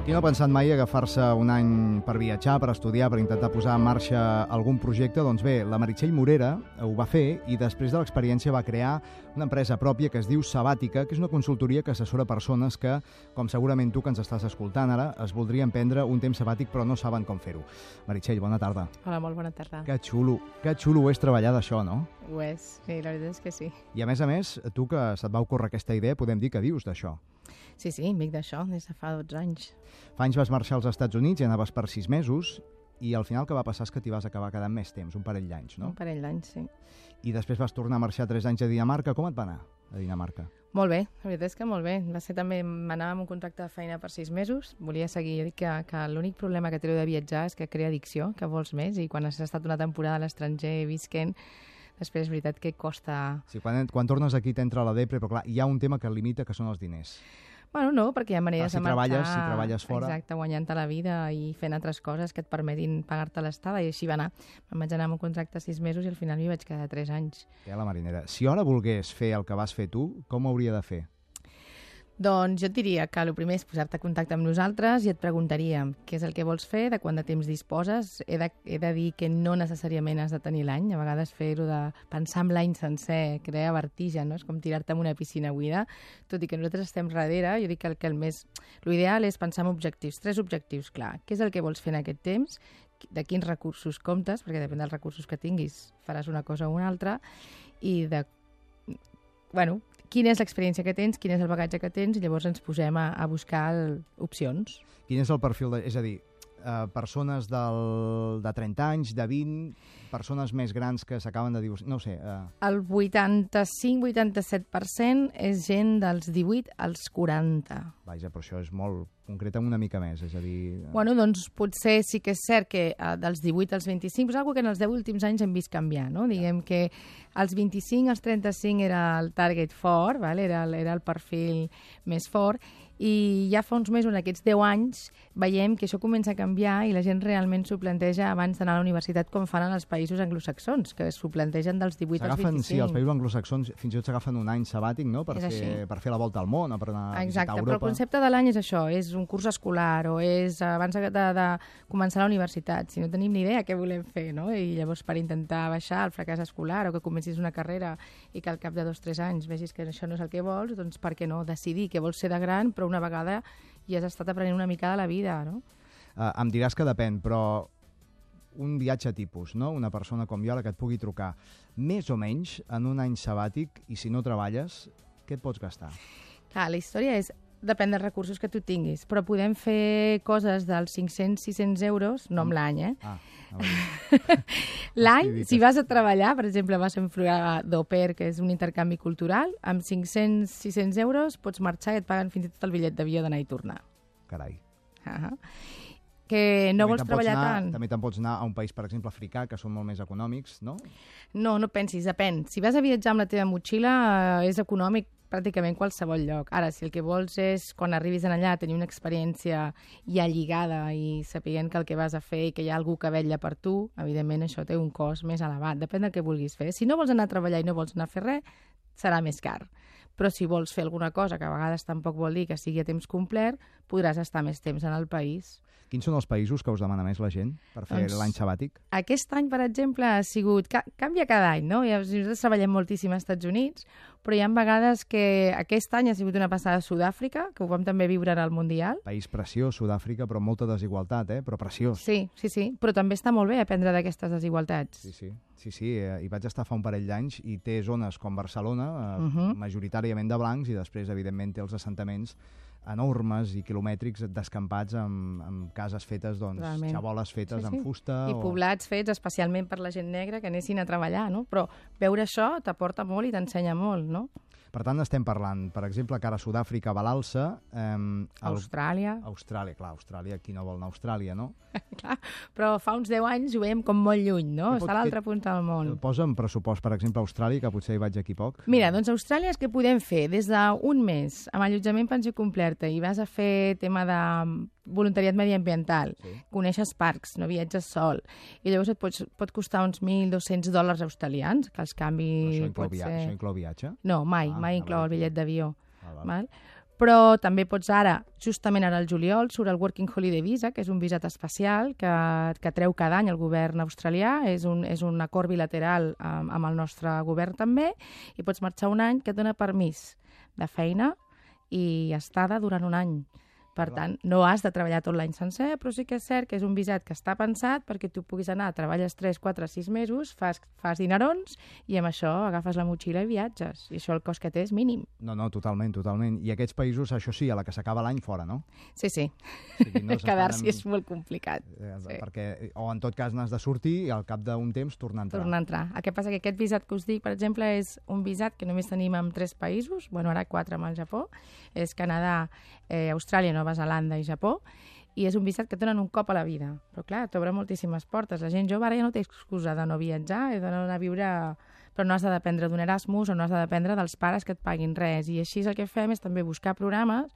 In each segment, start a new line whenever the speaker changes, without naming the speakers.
Qui no ha pensat mai agafar-se un any per viatjar, per estudiar, per intentar posar en marxa algun projecte? Doncs bé, la Meritxell Morera ho va fer i després de l'experiència va crear una empresa pròpia que es diu Sabàtica, que és una consultoria que assessora persones que, com segurament tu que ens estàs escoltant ara, es voldrien prendre un temps sabàtic però no saben com fer-ho. Meritxell, bona tarda.
Hola, molt bona tarda.
Que xulo ho és treballar d'això, no?
Ho és, sí, la veritat és que sí.
I a més, tu que se't va ocórrer aquesta idea, podem dir que vius d'això.
Sí, em dic d'això des de fa 12 anys.
Fa anys vas marxar als Estats Units i anaves per 6 mesos i al final el que va passar és que t'hi vas acabar quedant més temps, un parell d'anys, no?
Un parell d'anys, sí.
I després vas tornar a marxar 3 anys a Dinamarca. Com et va anar a Dinamarca?
Molt bé, la veritat és que molt bé. Va ser també, m'anava amb un contracte de feina per 6 mesos, volia seguir. Jo dic que l'únic problema que treu de viatjar és que crea addicció, que vols més, i quan has estat una temporada a l'estranger visquent, després és veritat que costa...
Sí, quan tornes aquí t'entra la depre, però clar, hi ha un tema que el limita, que són els diners.
Bueno, no, perquè hi ha maneres de marxar...
Si treballes fora...
Exacte, guanyant-te la vida i fent altres coses que et permetin pagar-te l'estada, i així va anar. Em vaig anar amb un contracte 6 mesos i al final m'hi vaig quedar 3 anys.
La marinera. Si ara volgués fer el que vas fer tu, com ho hauria de fer?
Doncs jo et diria que el primer és posar-te en contacte amb nosaltres i et preguntaríem què és el que vols fer, de quant de temps disposes. He de dir que no necessàriament has de tenir l'any. A vegades fer-ho de pensar en l'any sencer crea vertigen, no? És com tirar-te en una piscina buida. Tot i que nosaltres estem darrere, jo dic que l'ideal és pensar en objectius, 3 objectius, clar. Què és el que vols fer en aquest temps? De quins recursos comptes? Perquè depèn dels recursos que tinguis, faràs una cosa o una altra. I quina és l'experiència que tens, quin és el bagatge que tens, i llavors ens posem a buscar opcions.
Quin és el perfil és a dir, persones de 30 anys, de 20, persones més grans que s'acaben de divorciar, no ho sé.
El 85-87% és gent dels 18 als 40.
Vaja, però això és molt... Concreta'm una mica més, és a dir...
Bueno, doncs potser sí que és cert que dels 18 als 25 és una cosa que en els 10 últims anys hem vist canviar, no? Diguem que als 25 als 35 era el target fort, era el perfil més fort, i ja fa uns mesos, en aquests 10 anys, veiem que això comença a canviar i la gent realment s'ho planteja abans d'anar a la universitat, com fan en els països anglosaxons, que s'ho plantegen dels 18 als 25.
Sí, els països anglosaxons fins i tot s'agafen un any sabàtic, no?, per fer la volta al món o per anar a visitar Europa.
Però el concepte de l'any és això, és un curs escolar o és abans de començar la universitat. Si no tenim ni idea què volem fer, no?, i llavors per intentar baixar el fracàs escolar o que comencis una carrera i que al cap de 2 o 3 anys vegis que això no és el que vols, doncs per què no decidir què vols ser de gran, però una vegada ja has estat aprenent una mica de la vida, no?
Em diràs que depèn, però un viatge tipus, no? Una persona com jo, la que et pugui trucar, més o menys en un any sabàtic, i si no treballes, què et pots gastar?
Clar, la història és... Depèn dels recursos que tu tinguis, però podem fer coses dels 500-600 euros, no amb l'any, L'any, si vas a treballar, per exemple, vas a un programa d'au pair, que és un intercanvi cultural, amb 500-600 euros pots marxar i et paguen fins i tot el bitllet d'avió d'anar i tornar.
Carai.
Que no vols treballar tant.
També te'n pots anar a un país, per exemple, africà, que són molt més econòmics, no?
No pensis, depèn. Si vas a viatjar amb la teva motxilla, és econòmic pràcticament qualsevol lloc. Ara, si el que vols és, quan arribis allà, tenir una experiència ja lligada i sapiguent que el que vas a fer i que hi ha algú que vetlla per tu, evidentment això té un cost més elevat. Depèn del que vulguis fer. Si no vols anar a treballar i no vols anar a fer res, serà més car. Però si vols fer alguna cosa, que a vegades tampoc vol dir que sigui a temps complet, podràs estar més temps en el país.
Quins són els països que us demana més la gent per fer l'any sabàtic?
Aquest any, per exemple, ha sigut... Canvia cada any, no? Nosaltres treballem moltíssim als Estats Units, però hi ha vegades que aquest any ha sigut una passada a Sud-àfrica, que ho vam també viure en el Mundial.
País preciós, Sud-àfrica, però molta desigualtat, però preciós.
Sí, però també està molt bé aprendre d'aquestes desigualtats.
Sí, hi vaig estar fa un parell d'anys i té zones com Barcelona, majoritàriament de blancs, i després, evidentment, té els assentaments enormes i quilomètrics descampats amb cases fetes, xaboles fetes amb fusta.
I poblats fets especialment per la gent negra que anessin a treballar, no? Però veure això t'aporta molt i t'ensenya molt, no?
Per tant, estem parlant, per exemple, que ara Sud-àfrica va a l'alça.
Austràlia,
qui no vol anar a Austràlia, no?
Clar, però fa uns 10 anys ho veiem com molt lluny, no? Està a l'altra punta del món.
Posa'm pressupost, per exemple, a Austràlia, que potser hi vaig aquí poc.
Mira, doncs a Austràlia és que podem fer des d'un mes amb allotjament pensió completa i vas a fer tema de voluntariat mediambiental,
Sí.
coneixes parcs, no viatges sol, i llavors pot costar uns $1.200 australians, que els canvi
Però
pot ser...
això inclou viatge?
No, mai
Ah,
inclou el bitllet d'avió.
Val.
Val? Però també pots ara, justament ara al juliol, surt el Working Holiday Visa, que és un visat especial que treu cada any el govern australià, és un acord bilateral amb el nostre govern també, i pots marxar un any que et dona permís de feina i estada durant un any. Per tant, no has de treballar tot l'any sencer, però sí que és cert que és un visat que està pensat perquè tu puguis anar, treballes 3, 4, 6 mesos, fas dinerons i amb això agafes la motxilla i viatges. I això el cost que té és mínim.
No, totalment. I aquests països, això sí, a la que s'acaba l'any fora, no?
Sí.
O sigui, no
Quedar-s'hi és molt complicat.
Sí. Perquè, o en tot cas n'has de sortir i al cap d'un temps tornar a entrar.
Tornar a entrar. El que passa que aquest visat que us dic, per exemple, és un visat que només tenim en 3 països, bueno, ara 4 amb el Japó, és Canadà, Austràlia, Nova Zelanda i Japó, i és un visat que et donen un cop a la vida. Però clar, t'obre moltíssimes portes. La gent jove ara ja no té excusa de no viatjar i de no anar a viure... Però no has de dependre d'un Erasmus o no has de dependre dels pares que et paguin res. I així el que fem és també buscar programes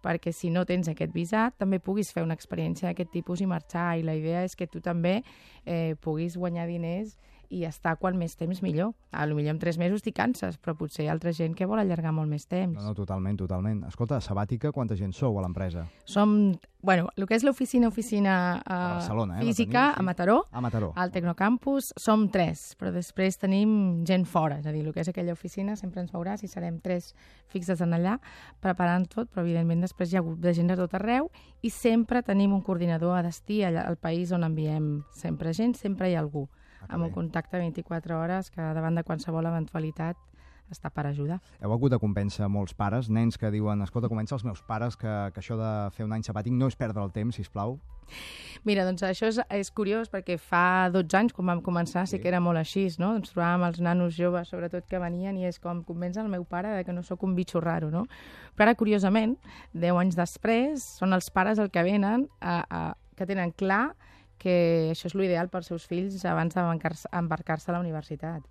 perquè si no tens aquest visat també puguis fer una experiència d'aquest tipus i marxar. I la idea és que tu també puguis guanyar diners i estar quan més temps millor. Potser en 3 mesos t'hi canses, però potser hi ha altra gent que vol allargar molt més temps.
No, totalment. Escolta, Sabàtica, quanta gent sou a l'empresa?
Som, bueno, el que és l'oficina
Barcelona,
física,
sí.
a Mataró,
A Mataró.
al Tecnocampus, som 3, però després tenim gent fora, és a dir, el que és aquella oficina sempre ens veurà si serem 3 fixes en allà, preparant tot, però evidentment després hi ha hagut de gent de tot arreu i sempre tenim un coordinador a destí allà, al país on enviem sempre gent, sempre hi ha algú. Amb un contacte 24 hores que davant de qualsevol eventualitat està per ajudar.
Heu hagut de convèncer molts pares, nens que diuen, escolta, comença els meus pares que això de fer un any sabàtic no és perdre el temps, sisplau.
Mira, doncs això és curiós perquè fa 12 anys, quan vam començar, sí que era molt així, no? Ens trobàvem els nanos joves, sobretot, que venien i és com convèncer el meu pare de que no sóc un bitxo raro, no? Però ara, curiosament, 10 anys després, són els pares el que venen que tenen clar que això és l'ideal pels seus fills abans d'embarcar-se a la universitat.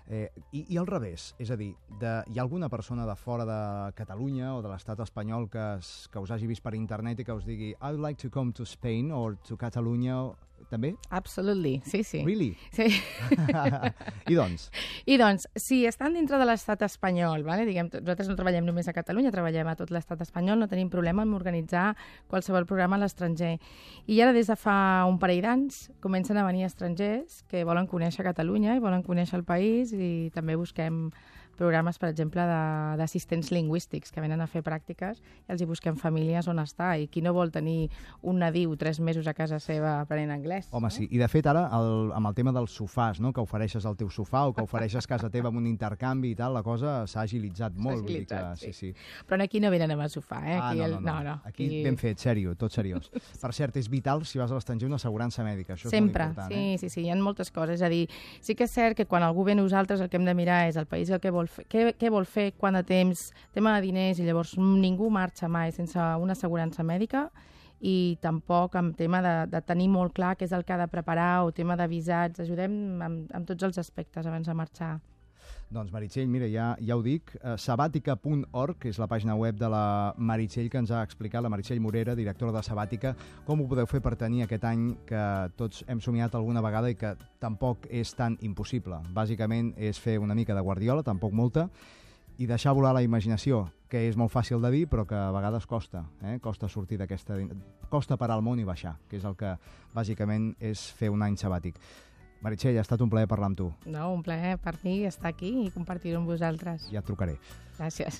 I al revés, és a dir, hi ha alguna persona de fora de Catalunya o de l'estat espanyol que us hagi vist per internet i que us digui I would like to come to Spain or to Catalunya, també?
Absolutely, sí.
Really?
Sí.
I doncs?
I doncs, si estan dintre de l'estat espanyol, vale? Diguem, nosaltres no treballem només a Catalunya, treballem a tot l'estat espanyol, no tenim problema en organitzar qualsevol programa a l'estranger. I ara, des de fa un parell d'anys, comencen a venir estrangers que volen conèixer Catalunya i volen conèixer el país i també busquem programes, per exemple, d'assistents lingüístics que venen a fer pràctiques i els hi busquem famílies on està. I qui no vol tenir un nadiu 3 mesos a casa seva aprenent anglès?
Home,
no?
sí. I de fet ara, amb el tema dels sofàs, no? Que ofereixes el teu sofà o que ofereixes casa teva amb un intercanvi i tal, la cosa s'ha agilitzat molt.
Sí. Però aquí no venen amb el sofà, eh? Aquí
no. Aquí ben fet, sèrio, tot seriós. Per cert, és vital, si vas a l'estranger, una assegurança mèdica. Això és molt important.
Sí, hi ha moltes coses. És a dir, sí que és cert que quan algú ve a nosaltres el que hem de mirar és el país el que vol fer, què vol fer, quant de temps, tema de diners, i llavors ningú marxa mai sense una assegurança mèdica i tampoc amb tema de tenir molt clar què és el que ha de preparar o tema de visats. Ajudem amb tots els aspectes abans de marxar.
Doncs Meritxell, mira, ja ho dic, sabàtica.org, que és la pàgina web de la Meritxell que ens ha explicat, la Meritxell Morera, directora de Sabàtica, com ho podeu fer per tenir aquest any que tots hem somiat alguna vegada i que tampoc és tan impossible. Bàsicament és fer una mica de guardiola, tampoc molta, i deixar volar la imaginació, que és molt fàcil de dir, però que a vegades costa. Costa sortir d'aquesta... Costa parar el món i baixar, que és el que bàsicament és fer un any sabàtic. Meritxell, ha estat un plaer parlar amb tu.
No, un plaer per mi estar aquí i compartir-ho amb vosaltres.
Ja et trucaré.
Gràcies.